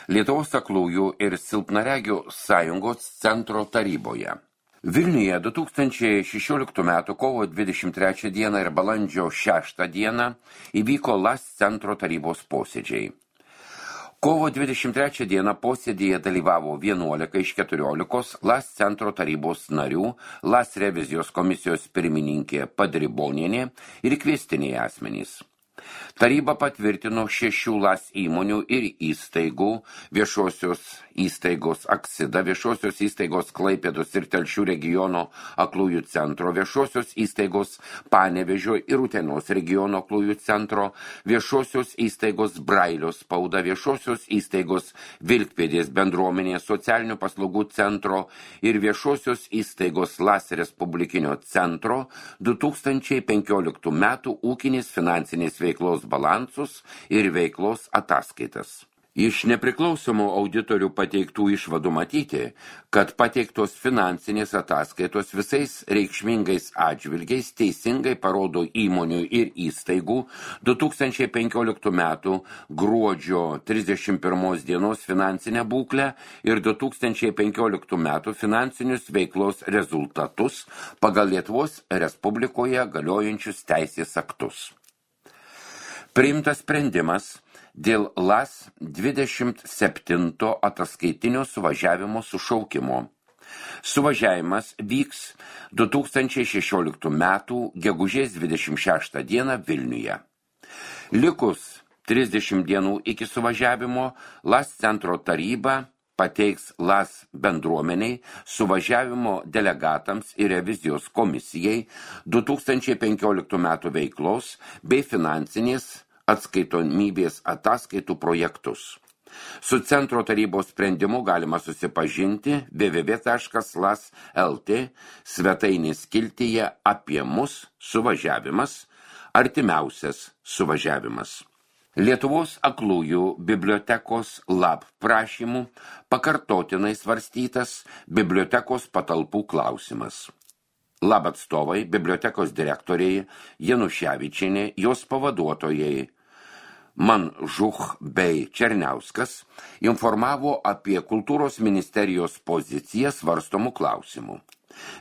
Lietuvos aklųjų ir silpnaregių sąjungos centro taryboje. Vilniuje 2016 m. kovo 23 d. ir balandžio 6 d. įvyko LAS centro tarybos posėdžiai. Kovo 23 d. posėdėje dalyvavo 11 iš 14 LAS centro tarybos narių, LAS revizijos komisijos pirmininkė Padribonienė ir kviestiniai asmenys. Taryba patvirtino 6 LAS įmonių ir įstaigų, viešosios įstaigos Aksida, viešosios įstaigos Klaipėdos ir Telšių regiono aklųjų centro, viešosios įstaigos Panevėžio ir Utenos regiono aklųjų centro, viešosios įstaigos Brailio spauda, viešosios įstaigos Vilkpėdės bendruomenės socialinių paslaugų centro ir viešosios įstaigos LAS Respublikinio centro 2015 metų ūkinės finansinės veiklos balansus ir veiklos ataskaitas. Iš nepriklausomų auditorių pateiktų išvadų matyti, kad pateiktos finansinės ataskaitos visais reikšmingais atžvilgiais teisingai parodo įmonių ir įstaigų 2015 metų gruodžio 31 dienos finansinę būklę ir 2015 metų finansinius veiklos rezultatus pagal Lietuvos Respublikoje galiojančius teisės aktus. Priimtas sprendimas dėl LAS 27 ataskaitinio suvažiavimo sušaukimo. Suvažiavimas vyks 2016 m. gegužės 26 d. Vilniuje. Likus 30 dienų iki suvažiavimo LAS centro taryba pateiks LAS bendruomeniai, suvažiavimo delegatams ir revizijos komisijai 2015 metų veiklos bei finansinės atskaitomybės ataskaitų projektus. Su centro tarybos sprendimu galima susipažinti www.las.lt svetainės skiltyje apie mus suvažiavimas, artimiausias suvažiavimas. Lietuvos aklųjų bibliotekos LAB prašymų pakartotinai svarstytas bibliotekos patalpų klausimas. LAB atstovai, bibliotekos direktoriai Januševičienė, jos pavaduotojai Manžuch bei Černiauskas informavo apie kultūros ministerijos poziciją svarstomų klausimų.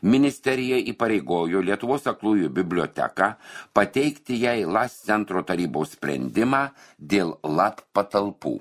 Ministerija įpareigojo Lietuvos aklųjų biblioteką pateikti jai LAS centro tarybos sprendimą dėl LAB patalpų.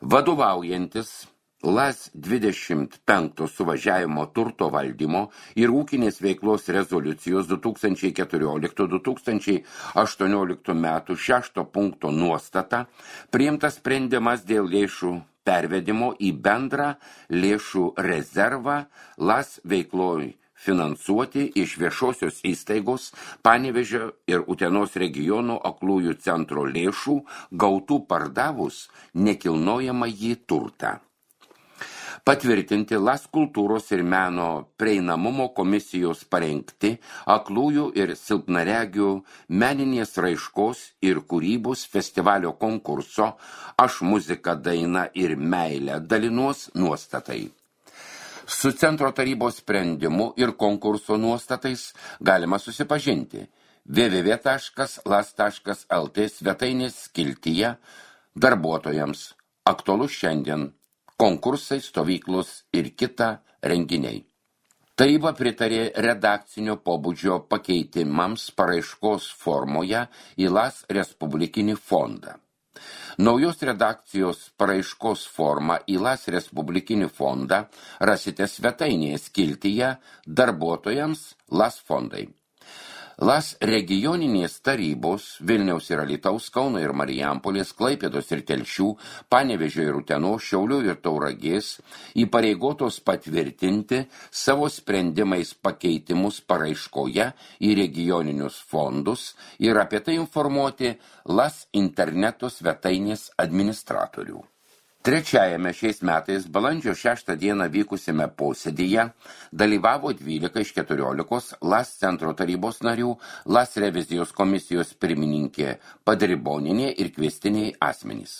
Vadovaujantis LAS 25 suvažiavimo turto valdymo ir ūkinės veiklos rezoliucijos 2014-2018 metų 6 punkto nuostata priimtas sprendimas dėl lėšų pervedimo į bendrą lėšų rezervą LAS veikloj finansuoti iš viešosios įstaigos Panevėžio ir Utenos regiono aklųjų centro lėšų gautų pardavus nekilnojamąjį turtą. Patvirtinti LAS kultūros ir meno prieinamumo komisijos parengti aklųjų ir silpnaregių meninės raiškos ir kūrybos festivalio konkurso Aš muzika, daina ir meilė dalinuos nuostatai. Su centro tarybos sprendimu ir konkurso nuostatais galima susipažinti www.las.lt svetainės skiltyje darbuotojams aktualus šiandien konkursai, stovyklos ir kita renginiai. Taryba pritarė redakcinio pobūdžio pakeitimams paraiškos formoje į LAS Respublikinį fondą. Naujos redakcijos paraiškos formą į LAS Respublikinį fondą rasite svetainėje skiltyje darbuotojams LAS fondai. LAS regioninės tarybos Vilniaus ir Alytaus, Kauno ir Marijampolės, Klaipėdos ir Telšių, Panevėžio ir Utenos, Šiaulių ir Tauragės įpareigotos patvirtinti savo sprendimais pakeitimus paraiškoje į regioninius fondus ir apie tai informuoti LAS interneto svetainės administratorių. Trečiajame šiais metais balandžio 6 dieną vykusime posėdyje dalyvavo 12 iš 14 LAS centro tarybos narių, LAS revizijos komisijos pirmininkė Padribonienė ir kviestiniai asmenys.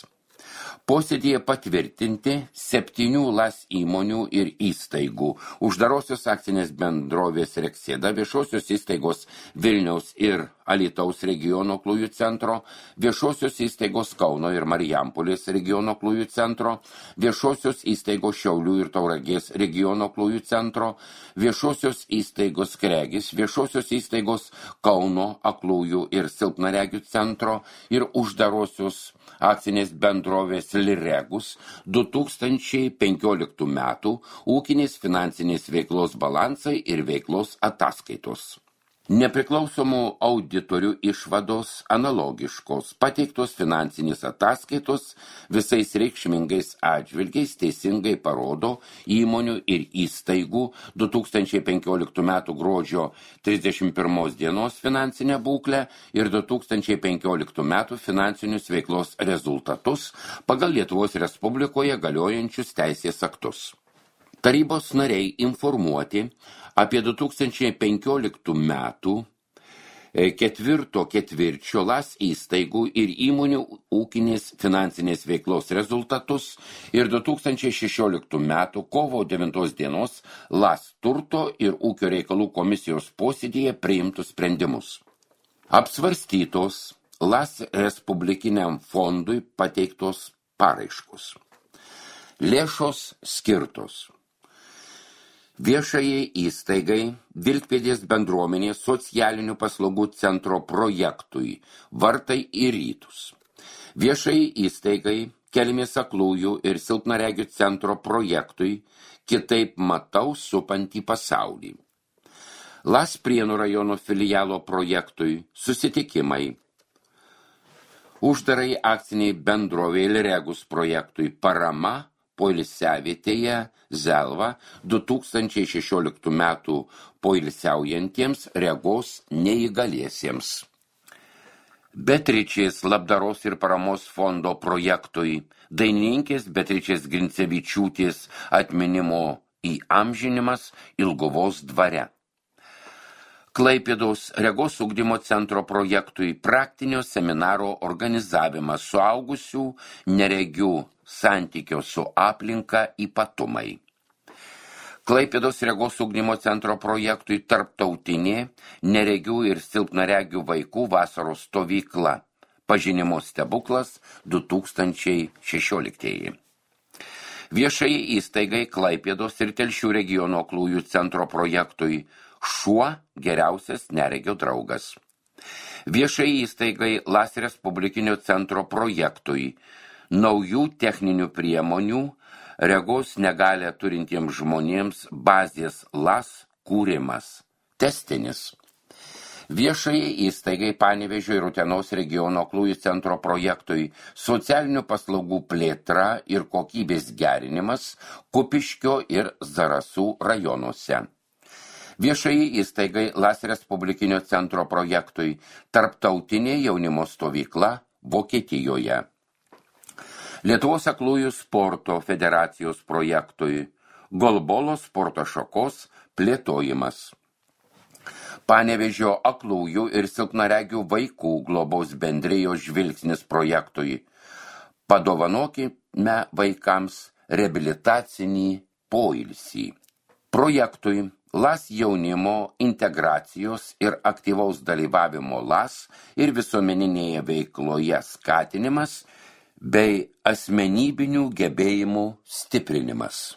Posėdėje patvirtinti 7 LAS įmonių ir įstaigų, uždarosios akcinės bendrovės Reksėda, viešosios įstaigos Vilniaus ir Alytaus regiono aklųjų centro, viešosios įstaigos Kauno ir Marijampolės regiono aklųjų centro, viešosios įstaigos Šiaulių ir Tauragės regiono aklųjų centro, viešosios įstaigos Kregis, viešosios įstaigos Kauno aklųjų ir silpnaregių centro ir uždarosios akcinės bendrovės Liregus 2015 metų ūkinės finansinės veiklos balansai ir veiklos ataskaitos. Nepriklausomų auditorių išvados analogiškos, pateiktos finansinės ataskaitos visais reikšmingais atžvilgiais teisingai parodo įmonių ir įstaigų 2015 metų gruodžio 31 dienos finansinę būklę ir 2015 metų finansinius veiklos rezultatus pagal Lietuvos Respublikoje galiojančius teisės aktus. Tarybos nariai informuoti apie 2015 metų ketvirto ketvirčio LAS įstaigų ir įmonių ūkinės finansinės veiklos rezultatus ir 2016 metų kovo 9 dienos LAS turto ir ūkio reikalų komisijos posėdėje priimtus sprendimus. Apsvarstytos LAS Respublikiniam fondui pateiktos paraiškos. Lėšos skirtos viešajai įstaigai Vilkpėdės bendruomenės socialinių paslaugų centro projektui Vartai į rytus. Viešajai įstaigai Kelmės aklųjų ir silpnaregių centro projektui Kitaip matau supantį pasaulį. LAS Prienų rajono filialo projektui Susitikimai. Uždarai akciniai bendrovei Liregus projektui Parama poilsiavietėje Zelva 2016 metų poilsiaujantiems regos neįgaliesiems. Beatričės labdaros ir paramos fondo projektui dainininkės Beatričės Grincevičiūtės atminimo įamžinimas Ilguvos dvare. Klaipėdos regos ugdymo centro projektui praktinio seminaro organizavimas suaugusių neregių santykio su aplinka ypatumai. Klaipėdos regos ugdymo centro projektui tarptautinė neregių ir silpnaregių vaikų vasaros stovykla Pažinimo stebuklas 2016. Viešai įstaigai Klaipėdos ir Telšių regiono aklųjų centro projektui Šuo geriausias neregio draugas. Viešai įstaigai LAS Respublikinio centro projektui Naujų techninių priemonių regos negalią turintiems žmonėms bazės LAS kūrimas. Testinis. Viešai įstaigai Panevėžio ir Utenos regiono aklųjų centro projektui Socialinių paslaugų plėtra ir kokybės gerinimas Kupiškio ir Zarasų rajonuose. Viešai įstaigai LAS Respublikinio centro projektui Tarptautinė jaunimo stovykla Vokietijoje. Lietuvos aklųjų sporto federacijos projektui Golbolo sporto šakos plėtojimas. Panevėžio aklųjų ir silpnaregių vaikų globos bendrijos žvilgsnis projektui Padovanokime vaikams reabilitacinį poilsį. Projektui LAS jaunimo integracijos ir aktyvaus dalyvavimo LAS ir visuomeninėje veikloje skatinimas bei asmenybinių gebėjimų stiprinimas.